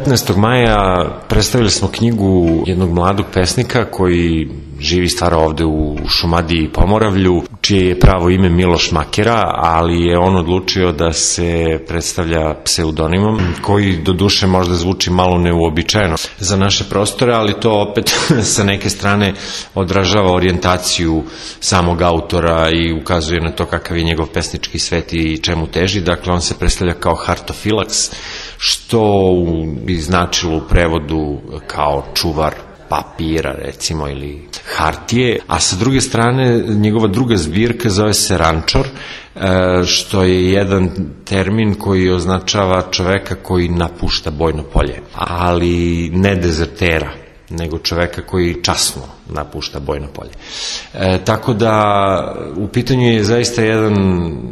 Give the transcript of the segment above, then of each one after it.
15. maja predstavili smo knjigu jednog mladog pesnika koji živi i stvara ovde u Šumadiji i Pomoravlju, čije je pravo ime Miloš Makera, ali je on odlučio da se predstavlja pseudonimom, koji doduše možda zvuči malo neuobičajeno za naše prostore, ali to opet sa neke strane odražava orijentaciju samog autora i ukazuje na to kakav je njegov pesnički svet i čemu teži. Dakle, on se predstavlja kao Hartofilaks, što bi značilo u prevodu kao čuvar papira, recimo, ili hartije, a sa druge strane njegova druga zbirka zove se Rančor, što je jedan termin koji označava čoveka koji napušta bojno polje, ali ne dezertera, nego čoveka koji časno napušta bojno polje. Tako da u pitanju je zaista jedan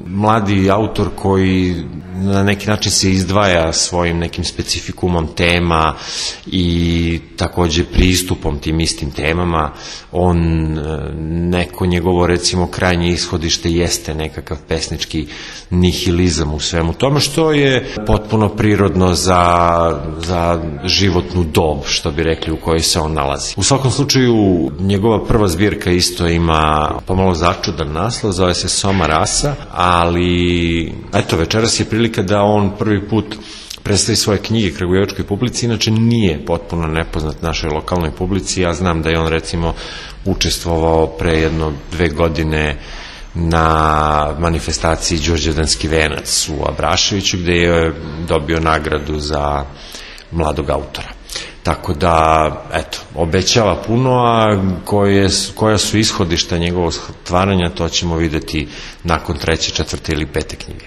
mladi autor koji na neki način se izdvaja svojim nekim specifikumom tema i takođe pristupom tim istim temama. On, neko njegovo recimo krajnje ishodište jeste nekakav pesnički nihilizam u svemu tome, što je potpuno prirodno za životnu dob, što bi rekli, u kojoj se on nalazi. U svakom slučaju njegova prva zbirka isto ima pomalo začudan naslov, zove se Soma rasa, ali eto, večeras je prilika da on prvi put predstavi svoje knjige kragujevačkoj publici, inače nije potpuno nepoznat našoj lokalnoj publici. Ja znam da je on recimo učestvovao pre 2 godine na manifestaciji Đurđevdanski venac u Abraševiću, gde je dobio nagradu za mladog autora. Tako da, eto, obećava puno, a koja su ishodišta njegovog stvaranja, to ćemo videti nakon 3., 4. ili 5. knjige.